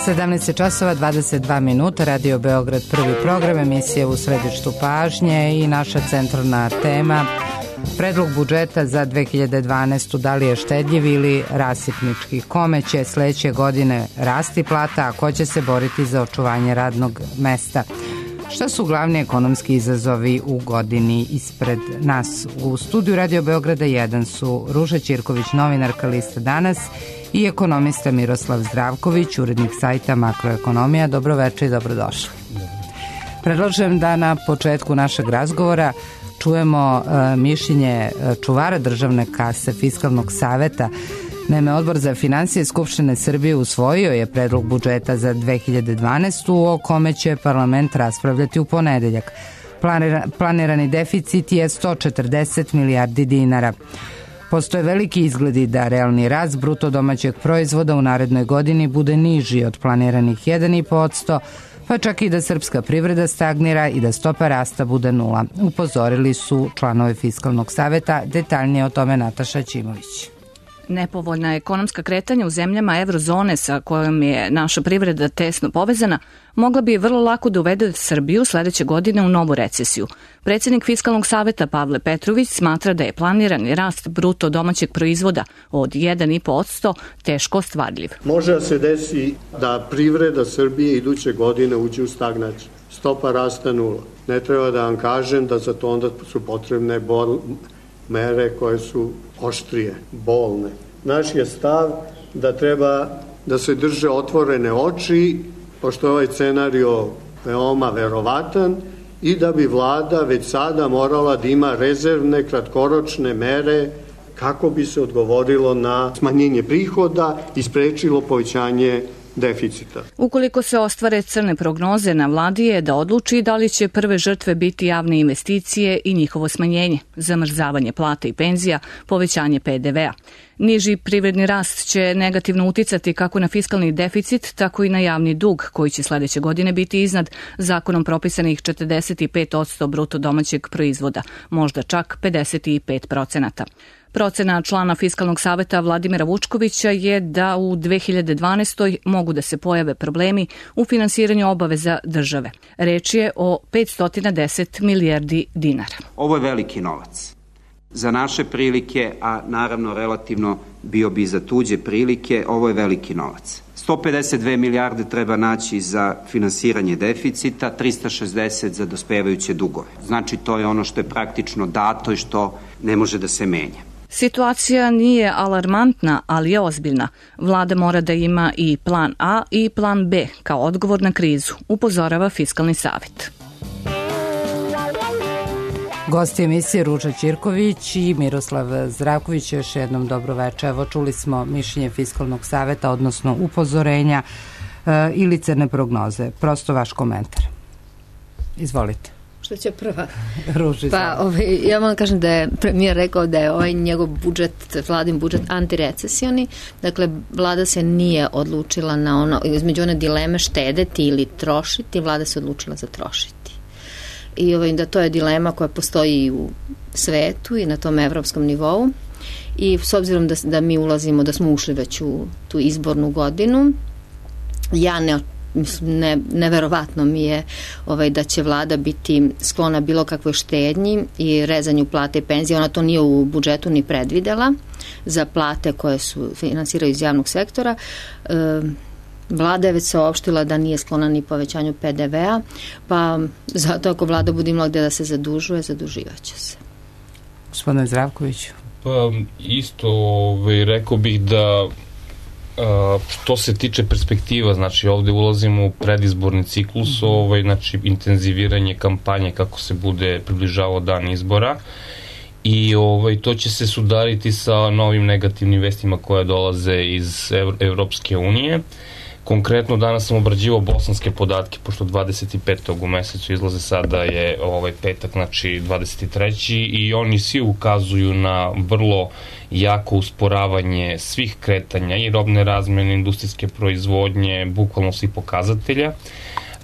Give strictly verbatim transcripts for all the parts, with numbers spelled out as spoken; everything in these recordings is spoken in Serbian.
sedamnaest časova dvadeset dva minuta, Radio Beograd, prvi program, emisije u središtu pažnje i naša centralna tema predlog budžeta za dve hiljade dvanaestu. Da li je štedljiv ili rasipnički? Kome će sledeće godine rasti plata, a ko će se boriti za očuvanje radnog mesta? Šta su glavni ekonomski izazovi u godini ispred nas? U studiju Radio Beograda jedan su Ruža Ćirković, novinarka Lista Danas, i ekonomista Miroslav Zdravković, urednik sajta Makroekonomija. Dobroveče i dobrodošli. Predlažem da na početku našeg razgovora čujemo e, mišljenje čuvara državne kase Fiskalnog saveta. Naime, Odbor za finansije Skupštine Srbije usvojio je predlog budžeta za dve hiljade dvanaestu o kome će parlament raspravljati u ponedeljak. Planira, planirani deficit je sto četrdeset milijardi dinara. Postoje veliki izgledi da realni rast bruto domaćeg proizvoda u narednoj godini bude niži od planiranih jedan i po posto, pa čak i da srpska privreda stagnira i da stopa rasta bude nula. Upozorili su članovi Fiskalnog saveta. Detaljnije o tome Nataša Ćimović. Nepovoljna ekonomska kretanja u zemljama eurozone sa kojom je naša privreda tesno povezana mogla bi vrlo lako da uvede Srbiju sledeće godine u novu recesiju. Predsjednik Fiskalnog saveta Pavle Petrović smatra da je planirani rast bruto domaćeg proizvoda od jedan i po posto teško ostvarljiv. Može da se desi da privreda Srbije iduće godine uđe u stagnaciju. Stopa rasta nula. Ne treba da vam kažem da za to onda su potrebne bol mere koje su oštrije, bolne. Naš je stav da treba da se drže otvorene oči, pošto je ovaj scenario veoma verovatan, i da bi vlada već sada morala da ima rezervne kratkoročne mere kako bi se odgovorilo na smanjenje prihoda i sprečilo povećanje deficita. Ukoliko se ostvare crne prognoze, na vladi je da odluči da li će prve žrtve biti javne investicije i njihovo smanjenje, zamrzavanje plata i penzija, povećanje pe de ve a. Niži privredni rast će negativno uticati kako na fiskalni deficit, tako i na javni dug, koji će sledeće godine biti iznad zakonom propisanih četrdeset pet posto bruto domaćeg proizvoda, možda čak pedeset pet procenata. Procena člana Fiskalnog saveta Vladimira Vučkovića je da u dve hiljade dvanaestoj mogu da se pojave problemi u finansiranju obaveza države. Reč je o petsto deset milijardi dinara. Ovo je veliki novac. Za naše prilike, a naravno relativno bio bi za tuđe prilike, ovo je veliki novac. sto pedeset dve milijarde treba naći za finansiranje deficita, trista šezdeset za dospevajuće dugove. Znači, to je ono što je praktično dato i što ne može da se menja. Situacija nije alarmantna, ali je ozbiljna. Vlada mora da ima i plan A i plan B kao odgovor na krizu, upozorava Fiskalni savet. Gosti emisije Ruža Ćirković i Miroslav Zdravković. Još jednom dobro večer. Evo, čuli smo mišljenje Fiskalnog saveta, odnosno upozorenja e, ili crne prognoze. Prosto vaš komentar. Izvolite. Što će prva? Ruži, pa, ovaj, ja vam kažem da je premijer rekao da je ovaj njegov budžet, vladin budžet antirecesioni. Dakle, vlada se nije odlučila na ono, između one dileme štedeti ili trošiti, vlada se odlučila za trošiti. I ovaj, da to je dilema koja postoji u svetu i na tom evropskom nivou. I s obzirom da, da mi ulazimo, da smo ušli već u tu izbornu godinu, ja ne Ne, neverovatno mi je ovaj, da će vlada biti sklona bilo kakvoj štednji i rezanju plate i penzije. Ona to nije u budžetu ni predvidela za plate koje su finansiraju iz javnog sektora. E, vlada je već saopštila da nije sklona ni povećanju pe de ve a, pa zato ako vlada bude imala gde da se zadužuje, zaduživaće se. Gospodine Zdravkoviću. Pa isto ovaj, rekao bih da Uh, što se tiče perspektiva, znači ovde ulazimo u predizborni ciklus, ovaj, znači intenziviranje kampanje kako se bude približavao dan izbora i ovaj, to će se sudariti sa novim negativnim vestima koje dolaze iz Ev- Evropske unije. Konkretno danas sam obrađivao bosanske podatke, pošto dvadeset petog u mesecu izlaze, sada je ovaj petak, znači dvadeset treći i oni svi ukazuju na vrlo jako usporavanje svih kretanja i robne razmene, industrijske proizvodnje, bukvalno svih pokazatelja.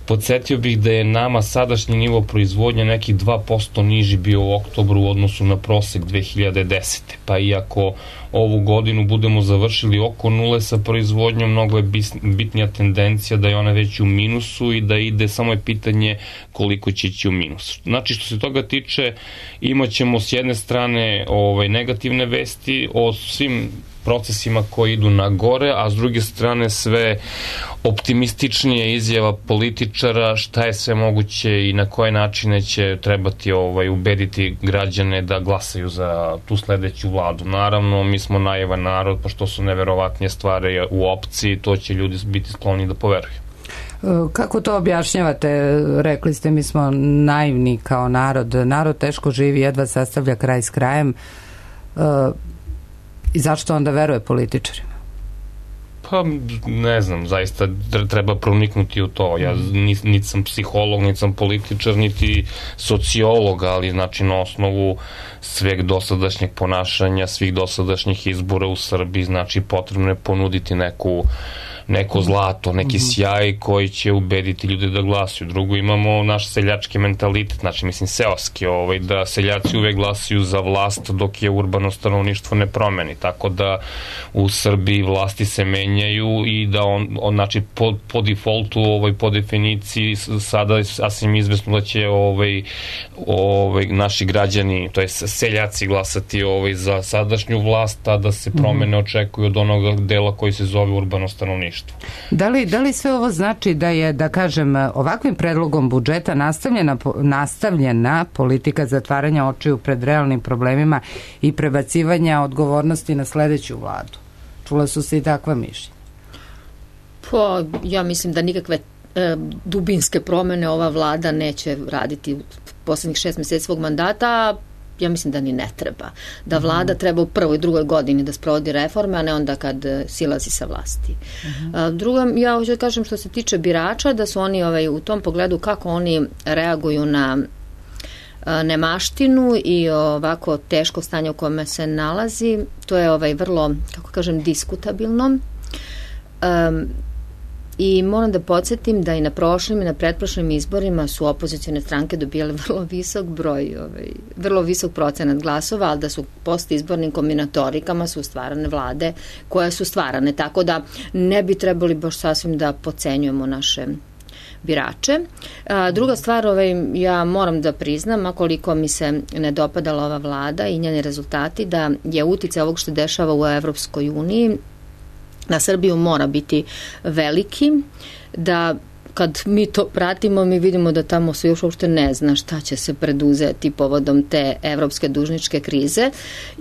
Podsjetio bih da je nama sadašnji nivo proizvodnje nekih dva posto niži bio u oktobru u odnosu na prosek dve hiljade desete. Pa iako ovu godinu budemo završili oko nule sa proizvodnjom, mnogo je bitnija tendencija da je ona već u minusu i da ide, samo je pitanje koliko će ići u minus. Znači, što se toga tiče, imat ćemo s jedne strane ovaj, negativne vesti o svim procesima koji idu na gore, a s druge strane sve optimističnije izjava političara šta je sve moguće i na koje načine će trebati ovaj, ubediti građane da glasaju za tu sledeću vladu. Naravno, mi smo naivan narod, pošto su neverovatnije stvari u opciji, to će ljudi biti skloni da poveruju. Kako to objašnjavate? Rekli ste, mi smo naivni kao narod. Narod teško živi, jedva sastavlja kraj s krajem. I zašto onda veruje političarima? Pa, ne znam, zaista treba proniknuti u to. Ja niti sam psiholog, niti sam političar, niti sociolog, ali znači na osnovu sveg dosadašnjeg ponašanja, svih dosadašnjih izbora u Srbiji, znači potrebno je ponuditi neku neko zlato, neki sjaj koji će ubediti ljude da glasuju. Drugo, imamo naš seljački mentalitet, znači mislim seoski, ovaj, da seljaci uvek glasuju za vlast dok je urbano stanovništvo ne promeni, tako da u Srbiji vlasti se menjaju i da on, on znači po, po defaultu, ovaj, po definiciji sada je sasvim izvesno da će ovaj, ovaj, naši građani, to je seljaci glasati ovaj, za sadašnju vlast, a da se promene očekuju od onog dela koji se zove urbano stanovništvo. Da li, da li sve ovo znači da je, da kažem, ovakvim predlogom budžeta nastavljena, nastavljena politika zatvaranja očiju pred realnim problemima i prebacivanja odgovornosti na sledeću vladu? Čula su se i takva mišljenja? Pa, ja mislim da nikakve e, dubinske promene ova vlada neće raditi u poslednjih šest meseci svog mandata, ja mislim da ni ne treba. Da vlada treba u prvoj i drugoj godini da sprovodi reforme, a ne onda kad silazi sa vlasti. Uh-huh. Drugo, ja hoću da kažem što se tiče birača, da su oni ovaj, u tom pogledu kako oni reaguju na nemaštinu i ovako teško stanje u kome se nalazi, to je ovaj vrlo, kako kažem, diskutabilno. Um, I moram da podsjetim da i na prošlim i na pretprošlim izborima su opozicijone stranke dobijale vrlo visok broj, ovaj, vrlo visok procenat glasova, ali da su post izbornim kombinatorikama su stvarane vlade koje su stvarane, tako da ne bi trebali baš sasvim da podcenjujemo naše birače. A, druga stvar, ovaj, ja moram da priznam, a koliko mi se ne dopadala ova vlada i njeni rezultati, da je uticaj ovog što dešava u Evropskoj uniji na Srbiju mora biti veliki, da kad mi to pratimo, mi vidimo da tamo se još uopšte ne zna šta će se preduzeti povodom te evropske dužničke krize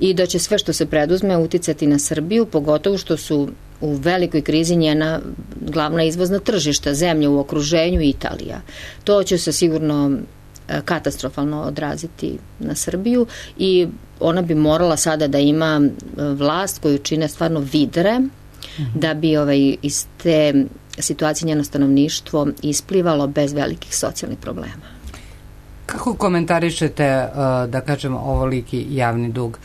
i da će sve što se preduzme uticati na Srbiju, pogotovo što su u velikoj krizi njena glavna izvozna tržišta, zemlje u okruženju i Italija. To će se sigurno katastrofalno odraziti na Srbiju i ona bi morala sada da ima vlast koju čine stvarno vidre, da bi ovaj, iz te situacije njeno stanovništvo isplivalo bez velikih socijalnih problema. Kako komentarišete, da kažem, ovoliki javni dug?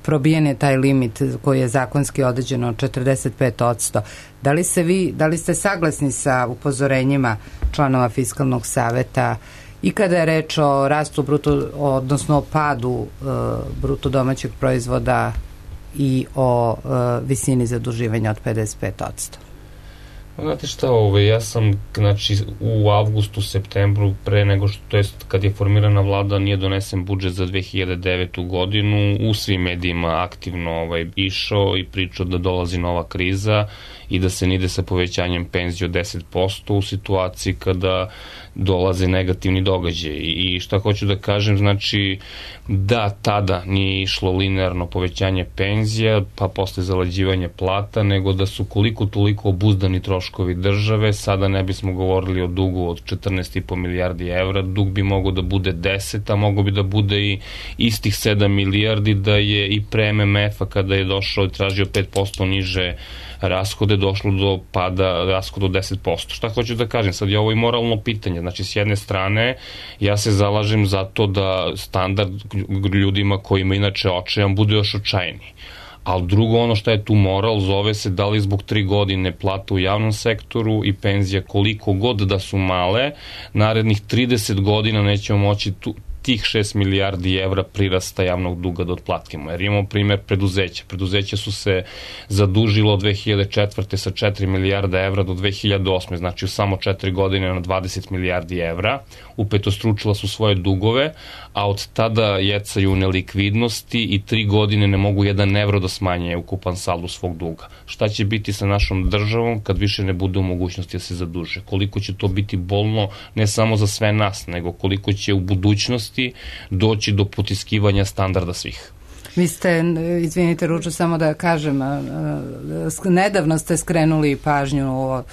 Probijen je taj limit koji je zakonski određen od četrdeset pet odsto. Da li, se vi, da li ste saglasni sa upozorenjima članova Fiskalnog saveta i kada je reč o rastu bruto, odnosno o padu bruto domaćeg proizvoda i o uh, visini zaduživanja od pedeset pet odsto? Znate šta, ove, ja sam znači, u avgustu, septembru, pre nego što, to jest kad je formirana vlada, nije donesen budžet za dve hiljade devetu godinu, u svim medijima aktivno ovaj, išao i pričao da dolazi nova kriza i da se ne ide sa povećanjem penzije od deset posto u situaciji kada dolaze negativni događaj. I šta hoću da kažem, znači da tada nije išlo linearno povećanje penzija, pa posle zalađivanje plata, nego da su koliko toliko obuzdani troškovi države, sada ne bismo govorili o dugu od četrnaest i po milijardi evra, dug bi mogao da bude deset, a mogao bi da bude i istih sedam milijardi, da je i pre M M F-a kada je došao i tražio pet posto niže rashode, došlo do pada rashoda od deset posto. Šta hoću da kažem? Sad je ovo i moralno pitanje. Znači, s jedne strane, ja se zalažem za to da standard ljudima koji ima inače očajan bude još očajniji. ali drugo ono što je tu moral zove se da li zbog tri godine plata u javnom sektoru i penzija koliko god da su male, narednih trideset godina nećemo moći tu, tih šest milijardi evra prirasta javnog duga da otplatimo. Jer imamo primer preduzeća. Preduzeća su se zadužilo od dve hiljade četvrte sa četiri milijarda evra do dve hiljade osme, znači u samo četiri godine na dvadeset milijardi evra. Upetostručila su svoje dugove, a od tada jecaju nelikvidnosti i tri godine ne mogu jedan evro da smanje ukupan saldo svog duga. Šta će biti sa našom državom kad više ne bude u mogućnosti da se zaduže? Koliko će to biti bolno ne samo za sve nas, nego koliko će u budućnosti doći do potiskivanja standarda svih. Vi ste, izvinite Ručo, samo da kažem, nedavno ste skrenuli pažnju o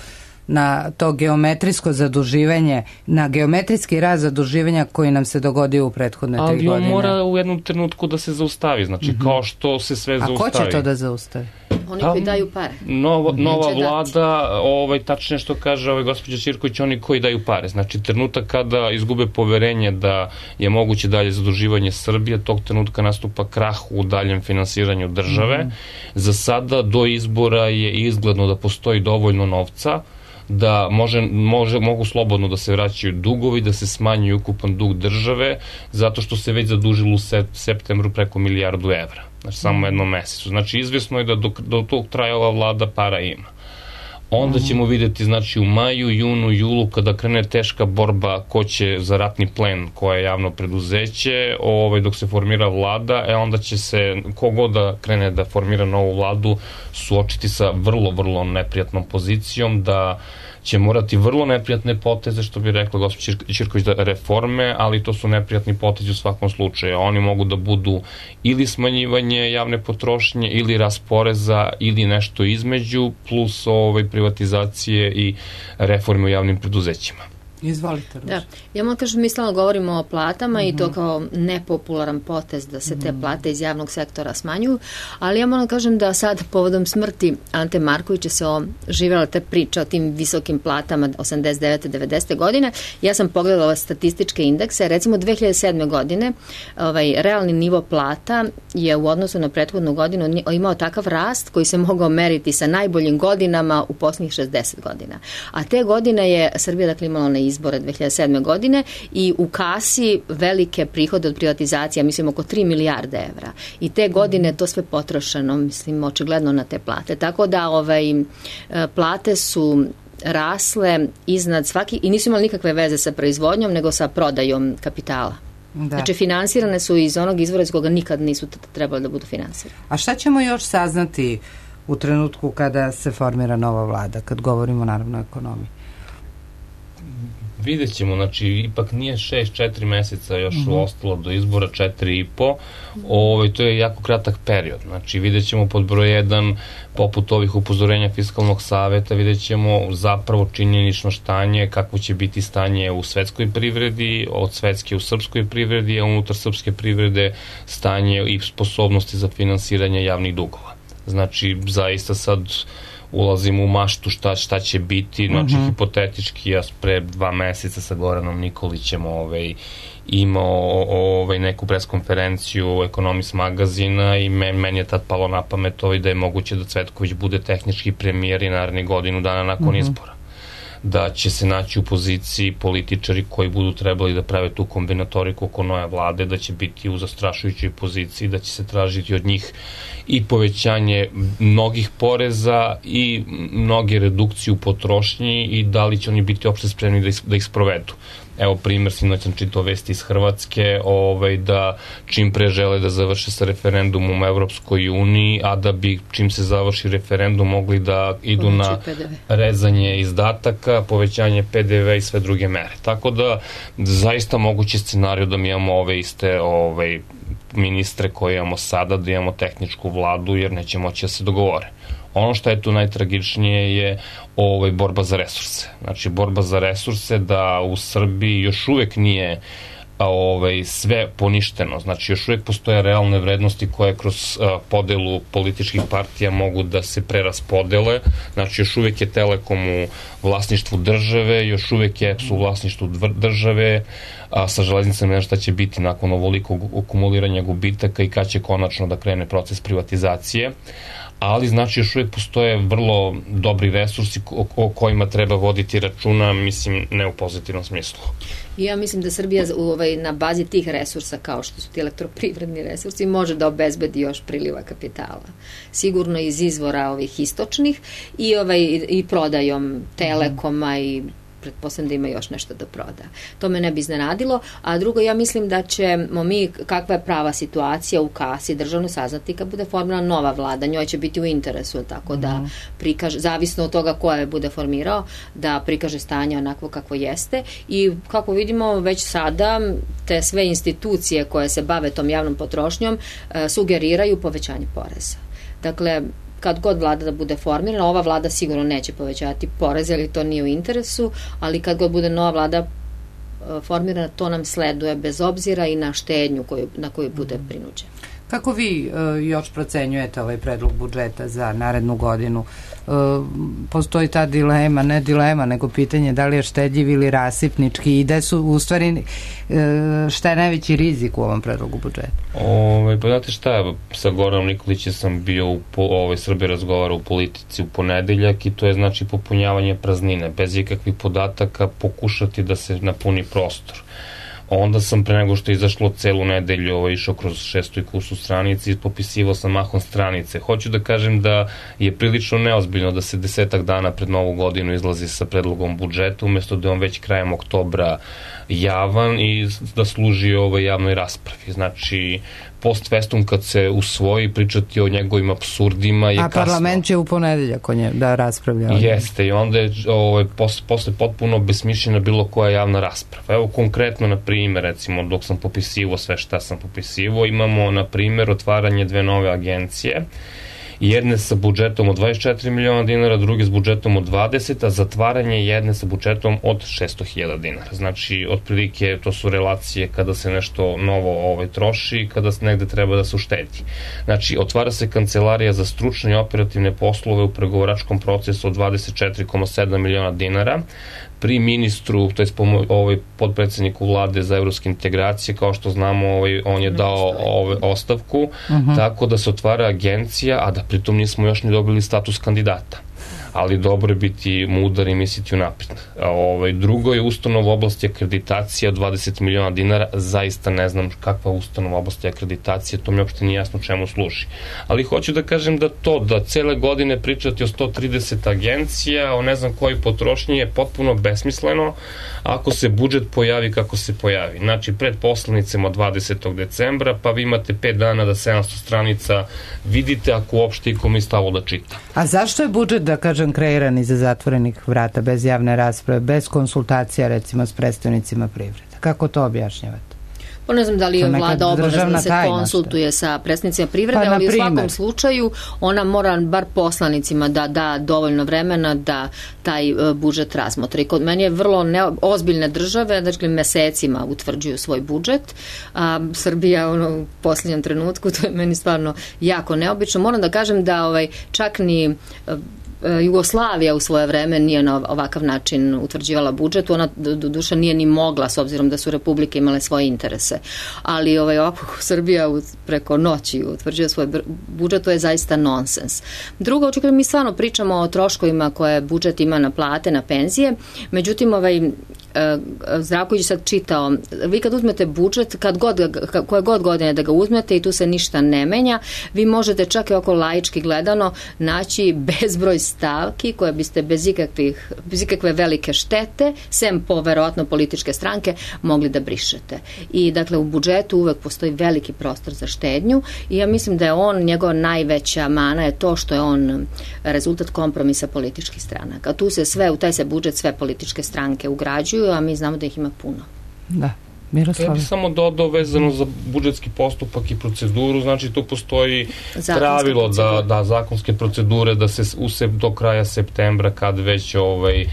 na to geometrijsko zaduživanje, na geometrijski rast zaduživanja koji nam se dogodio u prethodne tri godine. Ali on mora u jednom trenutku da se zaustavi, znači mm-hmm. kao što se sve A zaustavi. A ko će to da zaustavi? Oni koji daju pare. Nova, nova vlada, ovaj, tačnije što kaže ovaj gospođa Ćirković, oni koji daju pare. Znači, trenutak kada izgube poverenje da je moguće dalje zaduživanje Srbije, tog trenutka nastupa krah u daljem finansiranju države. Mm. Za sada do izbora je izgledno da postoji dovoljno novca, da može, može, mogu slobodno da se vraćaju dugovi, da se smanjuje ukupan dug države, zato što se već zadužilo u septembru preko milijardu evra. Znači, samo jednom mesecu. Znači, izvjesno je da do, do tog traja ova vlada para ima. Onda ćemo videti, znači, u maju, junu, julu, kada krene teška borba ko će za ratni plen, koje je javno preduzeće, ovaj, dok se formira vlada, e onda će se, kogod da krene da formira novu vladu, suočiti sa vrlo, vrlo neprijatnom pozicijom, da će morati vrlo neprijatne poteze, što bi rekla gospođa Ćirković, da reforme, ali to su neprijatni potezi u svakom slučaju. Oni mogu da budu ili smanjivanje javne potrošnje, ili rast poreza, ili nešto između, plus ovaj, privatizacije i reforme u javnim preduzećima. Izvolite. Da. Ja moram kažem, mi stalno govorimo o platama mm-hmm. i to kao nepopularan potez da se te plate iz javnog sektora smanjuju, ali ja moram kažem da sad povodom smrti Ante Markovića se oživjela ta priča o tim visokim platama osamdeset devete devedesete godine. Ja sam pogledala statističke indekse, recimo dve hiljade sedme godine ovaj, realni nivo plata je u odnosu na prethodnu godinu imao takav rast koji se mogao meriti sa najboljim godinama u posljednjih šezdeset godina. A te godine je Srbija dakle imala na izbore dve hiljade sedme godine i u kasi velike prihode od privatizacija, mislim oko tri milijarde evra. I te godine to sve potrošeno, mislim, očigledno na te plate. Tako da ovaj, plate su rasle iznad svaki i nisu imali nikakve veze sa proizvodnjom, nego sa prodajom kapitala. Da. Znači, finansirane su iz onog izvora iz koga nikad nisu trebali da budu finansirane. A šta ćemo još saznati u trenutku kada se formira nova vlada, kad govorimo naravno o ekonomiji? Vidjet ćemo, znači, ipak nije šest, četiri meseca još mm-hmm. ostalo do izbora, četiri i po, ovaj, to je jako kratak period, znači vidjet ćemo pod broj jedan, poput ovih upozorenja Fiskalnog saveta, vidjet ćemo zapravo činjenično stanje, kakvo će biti stanje u svetskoj privredi, od svetske u srpskoj privredi, a unutar srpske privrede stanje i sposobnosti za finansiranje javnih dugova. Znači, zaista sad ulazimo u maštu šta, šta će biti, znači uh-huh. hipotetički ja pre dva meseca sa Goranom Nikolićem ovaj, imao ovaj, neku preskonferenciju Ekonomist magazina i men, meni je tad palo na pamet ovaj, da je moguće da Cvetković bude tehnički premijer i naredni godinu dana nakon uh-huh. izbora. Da će se naći u poziciji političari koji budu trebali da prave tu kombinatoriku oko nove vlade, da će biti u zastrašujućoj poziciji, da će se tražiti od njih i povećanje mnogih poreza i mnoge redukcije u potrošnji i da li će oni biti opšte spremni da, is, da ih sprovedu. Evo primjer, sinoć sam čitao vesti iz Hrvatske, ovaj, da čim pre žele da završe sa referendumom u Evropskoj uniji, a da bi čim se završi referendum mogli da idu na rezanje izdataka, povećanje pe de ve i sve druge mere. Tako da zaista mogući scenarij da mi imamo ove iste ovaj, ministre koje imamo sada, da imamo tehničku vladu jer neće moći da se dogovore. Ono što je tu najtragičnije je ovaj, borba za resurse. Znači, borba za resurse da u Srbiji još uvek nije a ovaj, sve poništeno. Znači, još uvijek postoje realne vrednosti koje kroz a, podelu političkih partija mogu da se preraspodele. Znači, još uvijek je Telekom u vlasništvu države, još uvijek je E P S u vlasništvu države, a sa železnicama ne šta će biti nakon ovolikog akumuliranja gubitaka i kad će konačno da krene proces privatizacije. Ali znači još uvijek postoje vrlo dobri resursi o kojima treba voditi računa, mislim, ne u pozitivnom smislu. I ja mislim da Srbija ovaj, na bazi tih resursa, kao što su ti elektroprivredni resursi, može da obezbedi još priliva kapitala. Sigurno iz izvora ovih istočnih i, ovaj, i prodajom Telekoma i pretpostavljam da ima još nešto da proda. To me ne bi iznenadilo, a drugo, ja mislim da ćemo mi, kakva je prava situacija u kasi državno saznati kad bude formirana nova vlada, njoj će biti u interesu, tako da prikaže, zavisno od toga ko je bude formirao, da prikaže stanje onako kako jeste i kako vidimo već sada te sve institucije koje se bave tom javnom potrošnjom sugeriraju povećanje poreza. Dakle, kad god vlada da bude formirana, ova vlada sigurno neće povećati poreze, jer to nije u interesu, ali kad god bude nova vlada formirana, to nam sleduje bez obzira i na štednju koju, na koju bude prinuđena. Kako vi uh, još procenjujete ovaj predlog budžeta za narednu godinu? Uh, postoji ta dilema, ne dilema, nego pitanje da li je štedljiv ili rasipnički i da su u stvari uh, šta je najveći rizik u ovom predlogu budžeta? Ove, pa znate šta, sa Goranom Nikolićem sam bio u ovoj Srbiji razgovara u politici u ponedeljak i to je znači popunjavanje praznine, bez ikakvih podataka pokušati da se napuni prostor. Onda sam pre nego što je izašlo celu nedelju ovo, išao kroz šestu i kursu stranici i popisivao sam mahom stranice. Hoću da kažem da je prilično neozbiljno da se desetak dana pred novu godinu izlazi sa predlogom budžeta, umesto da je on već krajem oktobra javan i da služi ovoj javnoj raspravi. Znači, post festum kad se usvoji, pričati o njegovim apsurdima je A kasno. A parlament će u ponedeljak o nje da raspravlja. Jeste, i onda je ovaj, posle, posle potpuno besmišljena bilo koja javna rasprava. Evo konkretno, na primjer, recimo, dok sam popisivo sve šta sam popisivo, imamo, na primjer, otvaranje dve nove agencije, jedne sa budžetom od dvadeset četiri miliona dinara, druge s budžetom od dvadeset, a zatvaranje jedne sa budžetom od šesto hiljada dinara. Znači, otprilike, to su relacije kada se nešto novo ovaj, troši, kada se negde treba da se uštedi. Znači, otvara se kancelarija za stručne i operativne poslove u pregovaračkom procesu od dvadeset četiri zarez sedam miliona dinara, pri ministru, to je ovaj podpredsedniku vlade za evropske integracije, kao što znamo, ovaj, on je dao ovaj, ostavku, uh-huh. tako da se otvara agencija, a da pritom nismo još ni dobili status kandidata. Ali dobro je biti mudar i misliti unapred. Ovaj, drugo je ustanova u oblasti akreditacije od dvadeset miliona dinara, zaista ne znam kakva ustanova u oblasti akreditacije, to mi uopšte nije jasno čemu služi. Ali hoću da kažem da to, da cele godine pričati o sto trideset agencija, o ne znam koji potrošnji je potpuno besmisleno ako se budžet pojavi kako se pojavi. Znači, pred poslanicama dvadesetog decembra, pa vi imate pet dana da sedamsto stranica vidite, ako uopšte i kom je stalo da čita. A zašto je budžet, da kažem, kreiran iza zatvorenih vrata, bez javne rasprave, bez konsultacija, recimo, s predstavnicima privrede? Kako to objašnjavate? Pa ne znam da li je vlada obavezna da se konsultuje sa predstavnicima privrede, pa, ali u svakom slučaju ona mora bar poslanicima da da dovoljno vremena da taj budžet razmotre. I kod meni je vrlo ne, ozbiljne države, dakle mesecima utvrđuju svoj budžet, a Srbija ono, u posljednjem trenutku, to je meni stvarno jako neobično. Moram da kažem da ovaj, čak ni Jugoslavija u svoje vreme nije na ovakav način utvrđivala budžet, ona do duša nije ni mogla s obzirom da su republike imale svoje interese, ali ovaj, ovako Srbija preko noći utvrđuje svoj budžet, to je zaista nonsens. Drugo, očekaj, mi stvarno pričamo o troškovima koje budžet ima na plate, na penzije, međutim ovaj Zdravković sad čitao, vi kad uzmete budžet, kad god, koje god godine da ga uzmete i tu se ništa ne menja, vi možete čak i oko laički gledano naći bezbroj stavki koje biste bez ikakvih, bez ikakve velike štete, sem po verovatno političke stranke, mogli da brišete. I dakle u budžetu uvek postoji veliki prostor za štednju i ja mislim da je on, njegova najveća mana je to što je on rezultat kompromisa političkih stranaka. Tu se sve, u taj se budžet sve političke stranke ugrađuju, a mi znamo da ih ima puno. Da. Miroslav? Ja bih samo dodao vezano za budžetski postupak i proceduru, znači tu postoji zakonske pravilo da, da zakonske procedure da se use do kraja septembra kad već ovaj,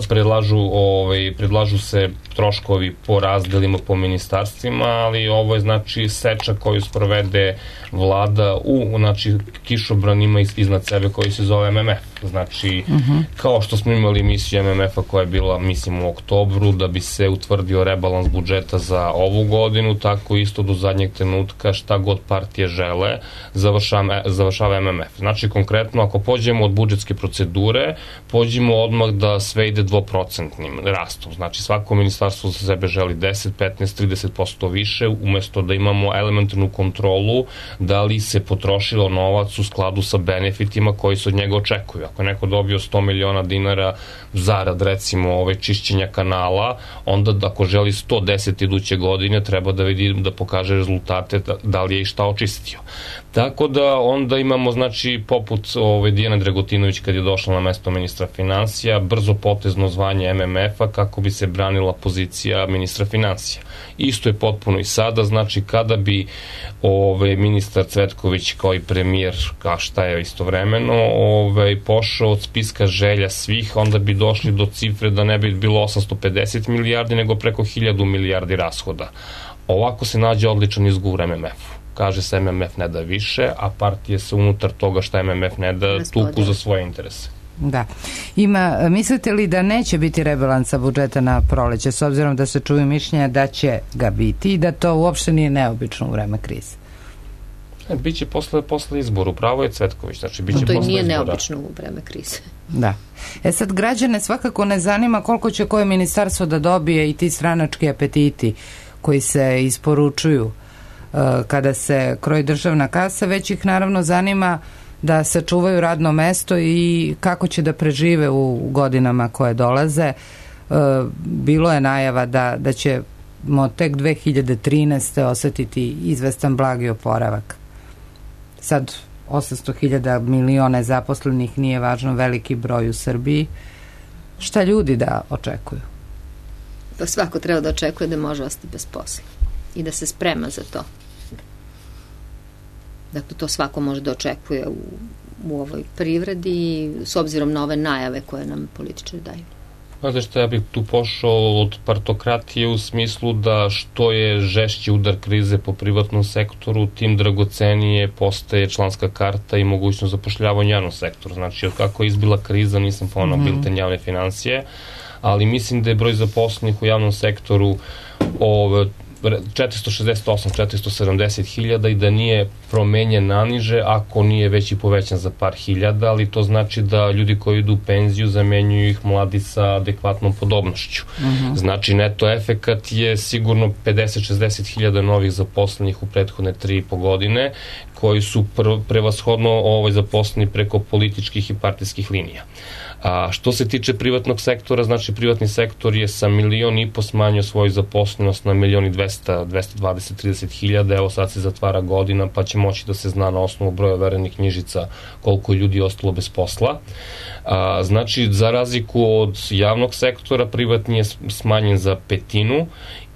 predlažu, ovaj, predlažu se troškovi po razdelima po ministarstvima, ali ovo je znači seča koju sprovede vlada u znači, kišobranima iznad sebe koji se zove M M F. Znači, uh-huh. kao što smo imali emisiju M M F-a koja je bila, mislim, u oktobru, da bi se utvrdio rebalans budžeta za ovu godinu, tako isto do zadnjeg trenutka šta god partije žele, završava, završava M M F. Znači, konkretno, ako pođemo od budžetske procedure, pođemo odmah da sve ide dvoprocentnim rastom. Znači, svako ministarstvo za sebe želi deset, petnaest, trideset posto više, umesto da imamo elementarnu kontrolu da li se potrošilo novac u skladu sa benefitima koji se od njega očekuju. Ako je neko dobio sto miliona dinara zarad, recimo, ove čišćenja kanala, onda ako želi sto deset iduće godine, treba da vidi, da pokaže rezultate da, da li je i šta očistio. Tako da onda imamo, znači, poput ove, Dijana Dragutinović kad je došla na mesto ministra financija, brzo potezno zvanje M M F-a kako bi se branila pozicija ministra financija. Isto je potpuno i sada, znači, kada bi ove, ministar Cvetković kao i premijer, kao šta je istovremeno, ove, pošao od spiska želja svih, onda bi došli do cifre da ne bi bilo osamsto pedeset milijardi, nego preko hiljadu milijardi rashoda. Ovako se nađe odličan izgovor M M F-u. Kaže se M M F ne da više, a partije se unutar toga šta M M F ne da tuku za svoje interese. Da. Ima, mislite li da neće biti rebalansa budžeta na proleće, s obzirom da se čuju mišljenja da će ga biti i da to uopšte nije neobično u vreme krize? Biće posle, posle izboru, pravo je Cvetković, znači biće no, to posle nije izbora. Neobično u vreme krize. Da. E sad, građane svakako ne zanima koliko će koje ministarstvo da dobije i ti stranački apetiti koji se isporučuju uh, kada se kroji državna kasa, već ih naravno zanima da sačuvaju radno mesto i kako će da prežive u godinama koje dolaze. Uh, bilo je najava da, da ćemo tek dve hiljade trinaeste osetiti izvestan blagi oporavak. Sad osamsto hiljada miliona zaposlenih, nije važno veliki broj u Srbiji. Šta ljudi da očekuju? Pa svako treba da očekuje da može ostati bez posla i da se sprema za to. Dakle, to svako može da očekuje u, u ovoj privredi s obzirom na ove najave koje nam političari daju. Znate što, ja bih tu pošao od partokratije u smislu da što je žešći udar krize po privatnom sektoru, tim dragocenije postaje članska karta i mogućnost zapošljavanja u javnom sektoru. Znači, od kako je izbila kriza, nisam ponao mm-hmm. bilten javne financije, ali mislim da je broj zaposlenih u javnom sektoru ove, četiristo šezdeset osam do četiristo sedamdeset hiljada i da nije promenjen naniže ako nije već i povećan za par hiljada, ali to znači da ljudi koji idu u penziju zamenjuju ih mladi sa adekvatnom podobnošću. Uh-huh. Znači neto efekat je sigurno pedeset do šezdeset hiljada novih zaposlenih u prethodne tri i po godine koji su pr- prevashodno ovaj, zaposleni preko političkih i partijskih linija. A što se tiče privatnog sektora, znači privatni sektor je sa milion i po smanjio svoju zaposlenost na milion i dvesta, dvesta dvadeset, trideset hiljada, evo sad se zatvara godina pa će moći da se zna na osnovu broja overenih knjižica koliko je ljudi ostalo bez posla. A, znači za razliku od javnog sektora, privatni je smanjen za petinu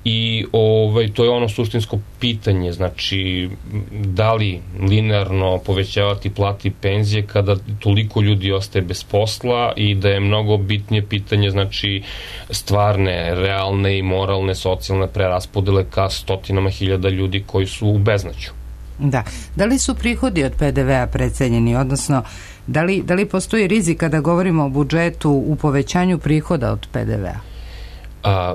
i ovaj, to je ono suštinsko pitanje, znači da li linearno povećavati plate i penzije kada toliko ljudi ostaje bez posla i da je mnogo bitnije pitanje, znači stvarne, realne i moralne socijalne preraspodele ka stotinama hiljada ljudi koji su u beznađu. Da. Da li su prihodi od P D V-a precenjeni, odnosno da li, da li postoji rizik kada govorimo o budžetu u povećanju prihoda od P D V-a? A,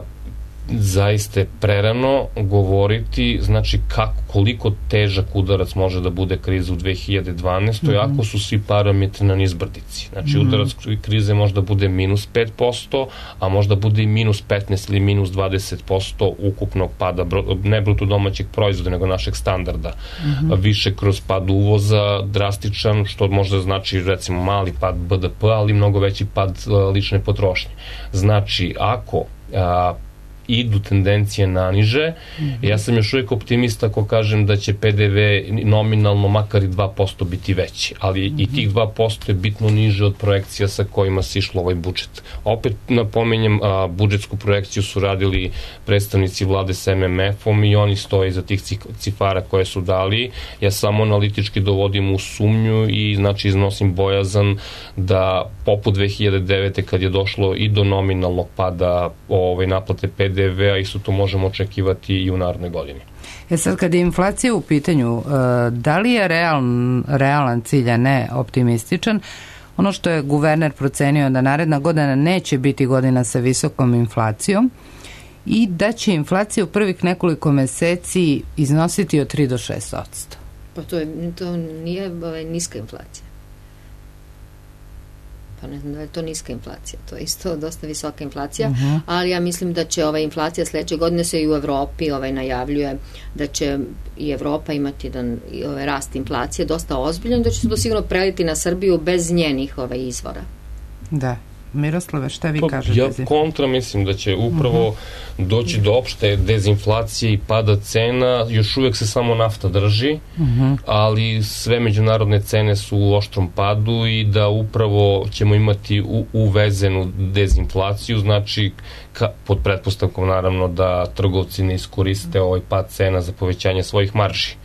zaista je prerano govoriti, znači kako, koliko težak udarac može da bude kriza u dve hiljade dvanaestoj Mm-hmm. ako su svi parametri na nizbrdici. Znači mm-hmm. udarac krize možda bude minus pet posto, a možda bude i minus petnaest ili minus dvadeset posto ukupnog pada, ne bruto domaćeg proizvoda, nego našeg standarda. Mm-hmm. Više kroz pad uvoza, drastičan, što možda znači recimo mali pad B D P, ali mnogo veći pad lične potrošnje. Znači, ako a, idu tendencije naniže. Mm-hmm. Ja sam još uvijek optimista ako kažem da će P D V nominalno makar i dva posto biti veći, ali mm-hmm. i tih dva posto je bitno niže od projekcija sa kojima se išlo ovaj budžet. Opet napominjem, a, budžetsku projekciju su radili predstavnici vlade s M M F-om i oni stoje iza tih cifara koje su dali. Ja samo analitički dovodim u sumnju i znači iznosim bojazan da poput dve hiljade devete kad je došlo i do nominalnog pada ovaj, naplate P D V-a, isto to možemo očekivati i u narednoj godini. E sad, kad je inflacija u pitanju, da li je realan, realan cilj, a ne optimističan? Ono što je guverner procenio da naredna godina neće biti godina sa visokom inflacijom i da će inflacija u prvih nekoliko meseci iznositi od tri do šest posto. Pa to, je, to nije ovaj, niska inflacija. Pa ne znam da je to niska inflacija, to je isto dosta visoka inflacija, uh-huh. ali ja mislim da će ova inflacija sledeće godine se i u Evropi ovaj, najavljuje da će i Evropa imati jedan ovaj, rast inflacije dosta ozbiljan, da će se to sigurno preliti na Srbiju bez njenih ovaj, izvora. Da. Miroslave, šta vi pa, kažete? Ja kontra mislim da će upravo uh-huh. doći do opšte dezinflacije i pada cena, još uvijek se samo nafta drži, uh-huh. ali sve međunarodne cene su u oštrom padu i da upravo ćemo imati u, uvezenu dezinflaciju, znači ka, pod pretpostavkom naravno da trgovci ne iskoriste ovaj pad cena za povećanje svojih marži.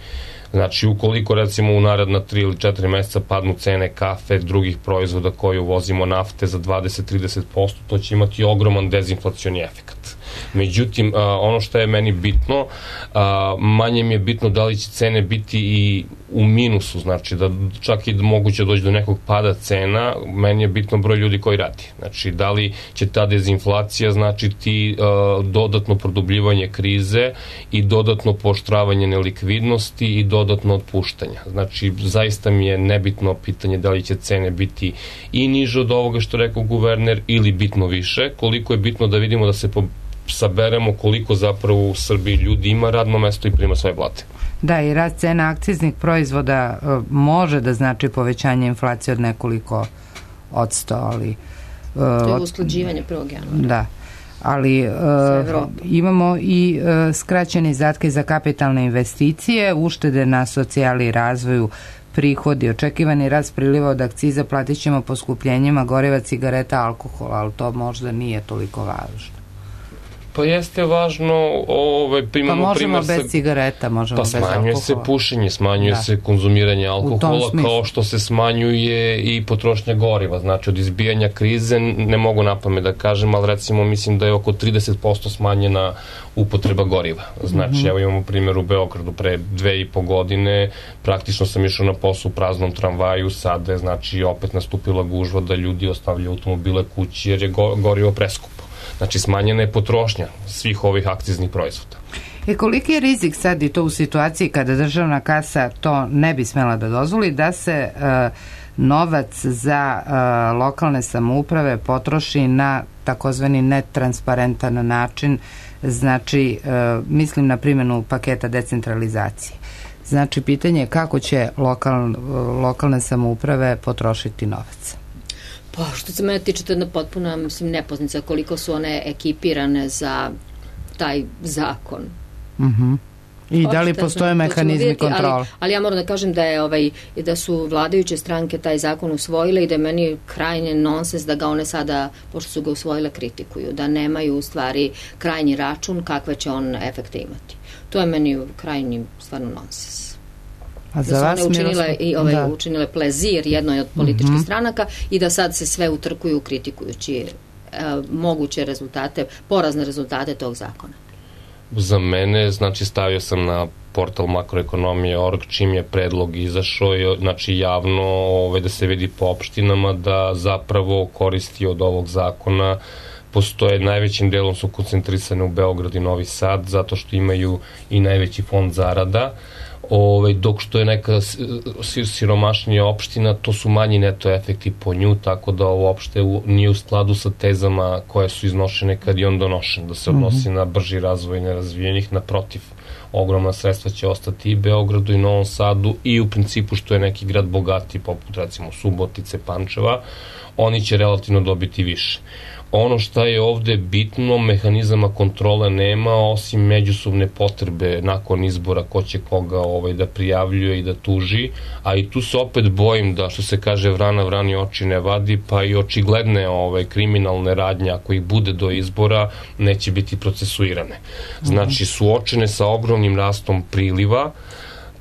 Znači, ukoliko recimo u naredna tri ili četiri meseca padnu cene kafe, drugih proizvoda koji uvozimo, nafte za dvadeset do trideset posto, to će imati ogroman dezinflacioni efekt. Međutim, a, ono što je meni bitno, a, manje mi je bitno da li će cene biti i u minusu, znači da čak i moguće doći do nekog pada cena, meni je bitno broj ljudi koji radi. Znači, da li će ta dezinflacija značiti a, dodatno produbljivanje krize i dodatno pooštravanje nelikvidnosti i dodatno otpuštanja. Znači, zaista mi je nebitno pitanje da li će cene biti i niže od ovoga što rekao guverner ili bitno više, koliko je bitno da vidimo da se po saberemo koliko zapravo u Srbiji ljudi ima radno mesto i prima svoje plate. Da, i rast cena akciznih proizvoda uh, može da znači povećanje inflacije od nekoliko odsto, ali... Uh, to je usklađivanje prvog januara. Da, ali uh, imamo i uh, skraćene izdatke za kapitalne investicije, uštede na socijali i razvoju, prihodi, očekivani rast priliva od akciza, platit ćemo poskupljenjima goriva, cigareta, alkohola, ali to možda nije toliko važno. Pa jeste važno, ovaj, primamo pa možemo primer bez sa, cigareta, možemo pa bez alkohola. Pa smanjuje se pušenje, smanjuje da. se konzumiranje alkohola, kao što se smanjuje i potrošnja goriva. Znači, od izbijanja krize, ne mogu napamet da kažem, ali recimo mislim da je oko trideset posto smanjena upotreba goriva. Znači, mm-hmm. evo imamo primjer u Beogradu pre dve i po godine, praktično sam išao na posao u praznom tramvaju, sada je znači opet nastupila gužva da ljudi ostavljaju automobile kući jer je go, gorivo preskupo. Znači, smanjena je potrošnja svih ovih akciznih proizvoda. E koliki je rizik sad i to u situaciji kada državna kasa to ne bi smela da dozvoli, da se uh, novac za uh, lokalne samouprave potroši na takozvani netransparentan način, znači uh, mislim na primjenu paketa decentralizacije. Znači, pitanje je kako će lokal, lokalne samouprave potrošiti novac. Pa, što se mene tiče, to je jedna potpuna, mislim, nepoznanica koliko su one ekipirane za taj zakon. Mhm. I da li postoje mehanizmi kontrole? Ali, ali ja moram da kažem da je ovaj, da su vladajuće stranke taj zakon usvojile i da je meni krajnje nonsens da ga one sada, pošto su ga usvojile, kritikuju, da nemaju u stvari krajnji račun kakve će on efekte imati. To je meni krajnji stvarno nonsens. A za da su vas, one učinile, Miroslav, i ovaj, da. učinile plezir jednoj od političkih mm-hmm. stranaka i da sad se sve utrkuju kritikujući e, moguće rezultate, porazne rezultate tog zakona. Za mene, znači, stavio sam na portal makroekonomije точка org čim je predlog izašao, znači javno ovaj, da se vidi po opštinama da zapravo koristi od ovog zakona postoje, najvećim delom su koncentrisane u Beograd i Novi Sad, zato što imaju i najveći fond zarada, Ove, dok što je neka siromašnija opština, to su manji neto efekti po nju, tako da ovo opšte u, nije u skladu sa tezama koje su iznošene kad je on donošen, da se odnosi mm-hmm. na brži razvoj nerazvijenih, naprotiv, ogromna sredstva će ostati i Beogradu i Novom Sadu i u principu što je neki grad bogati, poput recimo Subotice, Pančeva, oni će relativno dobiti više. ono šta je ovde bitno, mehanizama kontrole nema, osim međusobne potrebe nakon izbora ko će koga ovaj, da prijavljuje i da tuži, a i tu se opet bojim da, što se kaže, vrana vrani oči ne vadi, pa i očigledne ovaj, kriminalne radnje, ako ih bude do izbora, neće biti procesuirane. Znači, suočene sa ogromnim rastom priliva,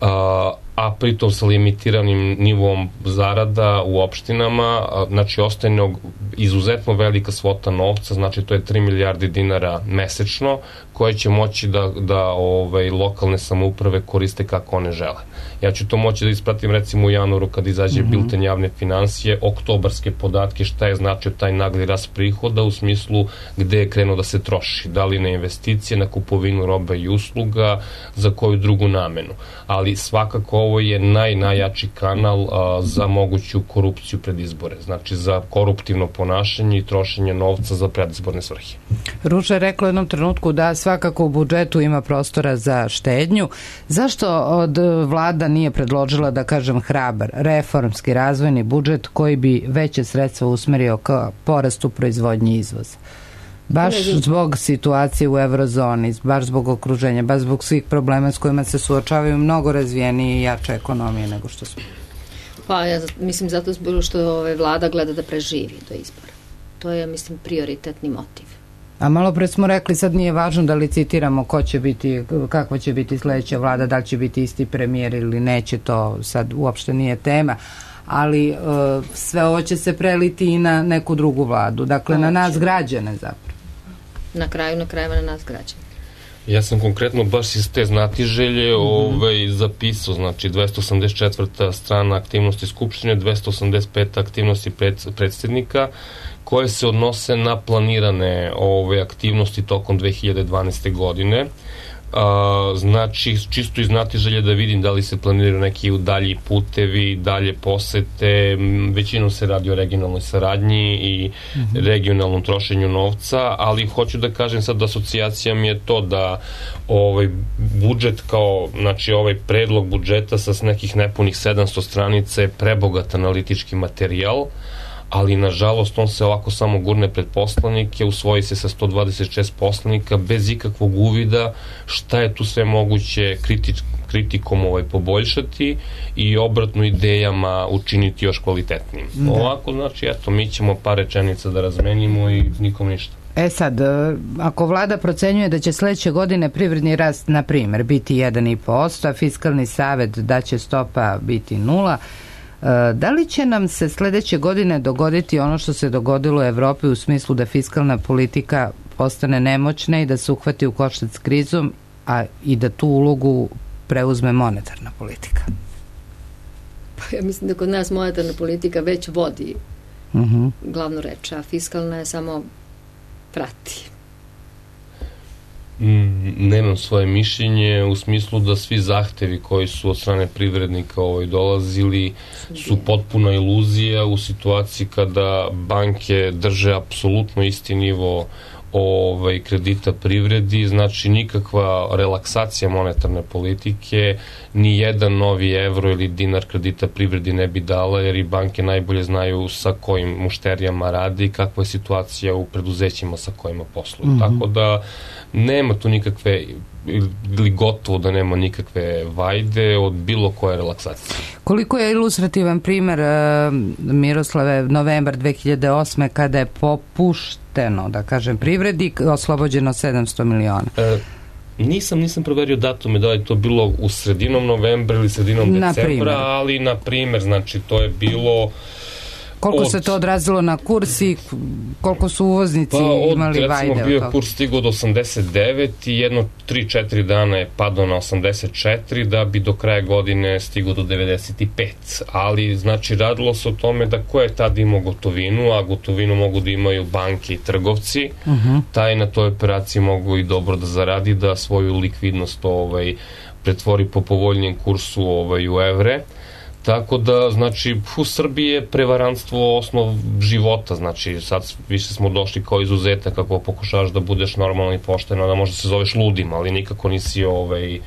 a, a pritom sa limitiranim nivom zarada u opštinama, znači ostaje izuzetno velika svota novca, znači to je tri milijarde dinara mesečno, koje će moći da, da ovaj, lokalne samouprave koriste kako one žele. Ja ću to moći da ispratim recimo u januaru kad izađe mm-hmm. bilten javne financije, oktobarske podatke, šta je značio taj nagli rast prihoda u smislu gde je krenuo da se troši, da li na investicije, na kupovinu robe i usluga, za koju drugu namenu. Ali svakako ovo je naj, najjači kanal a, za moguću korupciju pred izbore, znači za koruptivno ponašanje i trošenje novca za predizborne svrhe. Ruža je rekla u jednom trenutku da svakako u budžetu ima prostora za štednju. Zašto od vlada nije predložila, da kažem, hrabar, reformski razvojni budžet koji bi veće sredstva usmerio ka porastu proizvodnje izvoza? Baš zbog situacije u eurozoni, baš zbog okruženja, baš zbog svih problema s kojima se suočavaju mnogo razvijenije i jače ekonomije nego što smo. Pa ja mislim zato što ove vlada gleda da preživi do izbora. To je, mislim, prioritetni motiv. A malo pre smo rekli, sad nije važno da licitiramo ko će biti, kakva će biti sledeća vlada, da li će biti isti premijer ili neće, to sad uopšte nije tema, ali uh, sve ovo će se preliti i na neku drugu vladu, dakle na nas građane zapravo. Na kraju, na krajeva na nas građane. Ja sam konkretno baš iz te znatiželje mm-hmm. ovaj, zapisao, znači dvesta osamdeset četvrta strana aktivnosti Skupštine, dvesta osamdeset peta aktivnosti pred, predsjednika, koje se odnose na planirane ove aktivnosti tokom dve hiljade dvanaeste. godine. A, znači, čisto iz znatiželje da vidim da li se planiraju neki dalji putevi, dalje posete, većinom se radi o regionalnoj saradnji i mm-hmm. regionalnom trošenju novca, ali hoću da kažem sad da asocijacija mi je to da ovaj budžet kao, znači ovaj predlog budžeta sa nekih nepunih sedamsto stranica je prebogat analitički materijal, ali nažalost on se ovako samo gurne pred poslanike, usvoji se sa sto dvadeset šest poslanika bez ikakvog uvida šta je tu sve moguće kritič, kritikom ovaj poboljšati i obratno idejama učiniti još kvalitetnijim. Da. Ovako, znači, eto, mi ćemo par rečenica da razmenimo i nikom ništa. E sad, ako vlada procenjuje da će sledeće godine privredni rast, na primer, biti jedan i po posto, a fiskalni savet da će stopa biti nula, da li će nam se sledeće godine dogoditi ono što se dogodilo u Evropi u smislu da fiskalna politika postane nemoćna i da se uhvati u koštac s krizom, a i da tu ulogu preuzme monetarna politika? Pa ja mislim da kod nas monetarna politika već vodi uh-huh. glavnu reč, a fiskalna je samo prati. Nemam svoje mišljenje u smislu da svi zahtevi koji su od strane privrednika ovaj dolazili su potpuna iluzija u situaciji kada banke drže apsolutno isti nivo ovaj kredita privredi, znači nikakva relaksacija monetarne politike, ni jedan novi evro ili dinar kredita privredi ne bi dala, jer i banke najbolje znaju sa kojim mušterijama radi i kakva je situacija u preduzećima sa kojima posluju. Mm-hmm. Tako da nema tu nikakve, ili gotovo da nema nikakve vajde od bilo koje relaksacije. Koliko je ilustrativan primer, Miroslave, novembar dve hiljade osme kada je popušteno, da kažem, privredi, oslobođeno sedamsto miliona? E, nisam, nisam proverio datume, da li to bilo u sredinom novembra ili sredinom decembra, ali na primer, znači to je bilo koliko od, se to odrazilo na kurs i koliko su uvoznici pa od, imali vajde? Pa od, bio je kurs stigao do osamdeset devet i jedno tri četiri dana je padao na osamdeset četiri da bi do kraja godine stigao do devedeset pet. Ali, znači, radilo se o tome da ko je tad imao gotovinu, a gotovinu mogu da imaju banke i trgovci, uh-huh. taj na toj operaciji mogu i dobro da zaradi, da svoju likvidnost ovaj, pretvori po povoljnijem kursu ovaj, u evre. Tako da, znači, u Srbiji je prevarantstvo osnov života, znači, sad više smo došli kao izuzetak, kako pokušavaš da budeš normalno i pošteno, da možda se zoveš ludim, ali nikako nisi ovaj, uh,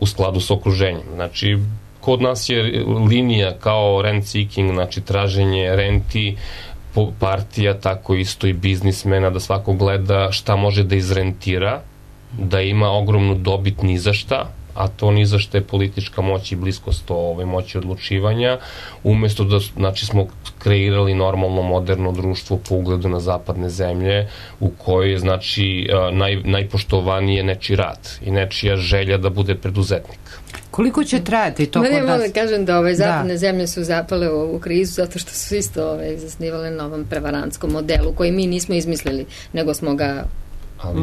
u skladu s okruženjem. Znači, kod nas je linija kao rent seeking, znači traženje renti, partija, tako isto i biznismena, da svako gleda šta može da izrentira, da ima ogromnu dobit ni za šta, a to ni za šta je politička moć i bliskost ove moći odlučivanja, umesto da, znači, smo kreirali normalno moderno društvo po ugledu na zapadne zemlje, u kojoj je, znači, naj, najpoštovanije nečiji rad i nečija želja da bude preduzetnik. Koliko će trajati to kod nas? Ja mogu da kažem da ove zapadne da. zemlje su zapale u, u krizu zato što su isto ove, zasnivale na ovom prevarantskom modelu koji mi nismo izmislili, nego smo ga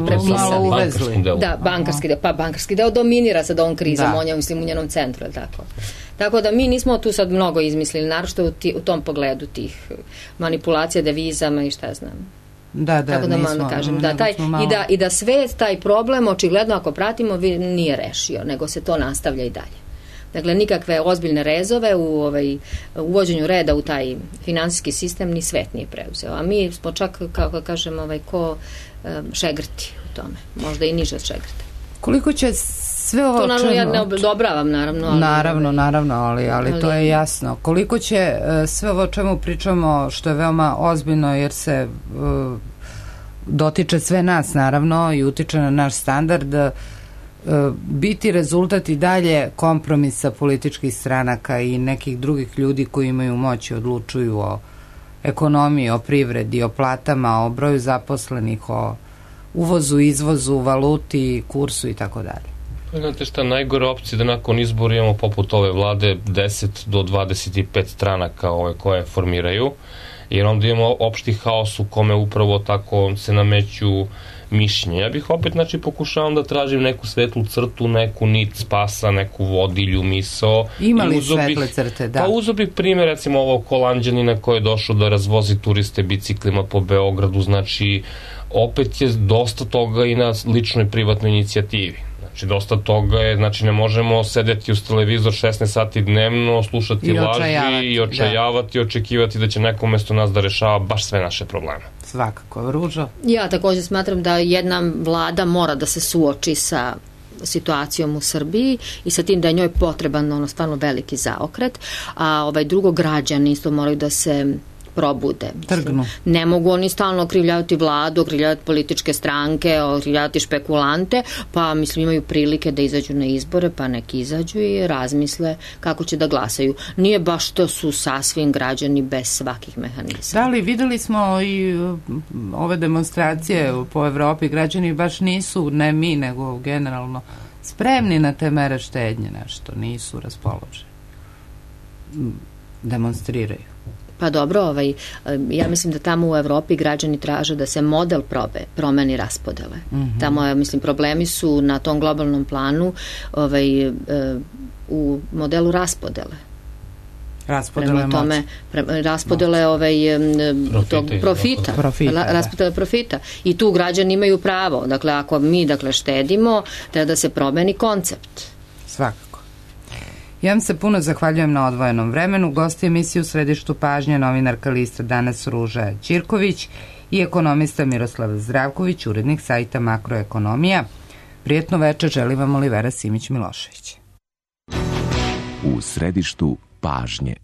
prepisali. Bankarski deo. Da, bankarski deo. Pa bankarski deo dominira sad ovom krizom, da. on je, mislim, u njenom centru, tako. Tako da mi nismo tu sad mnogo izmislili, naročito u, ti, u tom pogledu tih manipulacija devizama i šta znam. Da, da, tako da nismo, malo kažem, da, taj, malo... i, da, i da sve taj problem, očigledno ako pratimo, nije rešio, nego se to nastavlja i dalje. Dakle, nikakve ozbiljne rezove u ovaj, uvođenju reda u taj finansijski sistem ni svet nije preuzeo. A mi smo čak, kako kažem, ovaj, ko um, šegrti u tome. Možda i niže od šegrta. Koliko će sve ovo... To naravno čemu... ja ne odobravam, naravno. Ali, naravno, naravno, ali, ali, ali to je jasno. Koliko će uh, sve ovo o čemu pričamo, što je veoma ozbiljno, jer se uh, dotiče sve nas, naravno, i utiče na naš standard, uh, biti rezultat i dalje kompromisa političkih stranaka i nekih drugih ljudi koji imaju moć i odlučuju o ekonomiji, o privredi, o platama, o broju zaposlenih, o uvozu, izvozu, valuti, kursu i tako dalje. Znate šta, najgore opcije da nakon izbora imamo poput ove vlade deset do dvadeset pet stranaka ove koje formiraju, jer onda imamo opšti haos u kome upravo tako se nameću mišljenje. Ja bih opet, znači, pokušavam da tražim neku svetlu crtu, neku nit spasa, neku vodilju, misao. Ima li svetle crte, da? Pa uzo bih primjer, recimo, ovog Holanđanina koji je došao da razvozi turiste biciklima po Beogradu, znači, opet je dosta toga i na ličnoj privatnoj inicijativi. Znači, dosta toga je, znači, ne možemo sedeti uz televizor šesnaest sati dnevno, slušati I laži očajavati, i očajavati, da. očekivati da će neko umesto nas da rešava baš sve naše probleme. Svakako, Ruža. Ja također smatram da jedna vlada mora da se suoči sa situacijom u Srbiji i sa tim da je njoj potreban ono stvarno veliki zaokret, a ovaj drugo građani isto moraju da se probude. Trgnu. Ne mogu oni stalno okrivljavati vladu, okrivljavati političke stranke, okrivljavati špekulante, pa mislim imaju prilike da izađu na izbore, pa nek izađu i razmisle kako će da glasaju. Nije baš to su sasvim građani bez svakih mehanizama. Da li videli smo i ove demonstracije po Evropi, građani baš nisu, ne mi, nego generalno spremni na te mere štednje nešto, nisu raspoloženi. Demonstriraju. Pa dobro, ovaj, ja mislim da tamo u Evropi građani traže da se model probe, promeni raspodele. Mm-hmm. Tamo, mislim, problemi su na tom globalnom planu ovaj, u modelu raspodele. Raspodele prema tome, pre, raspodele ovaj, tog profita, profita raspodele da. profita. I tu građani imaju pravo. Dakle, ako mi dakle, štedimo, treba da se promeni koncept. Svakako. Ja vam se puno zahvaljujem na odvojenom vremenu. Gosti emisije u središtu pažnje novinarka lista Danas Ruža Ćirković i ekonomista Miroslav Zdravković, urednik sajta Makroekonomija. Prijetno večer želi vam Olivera Simić-Milošević. U središtu pažnje.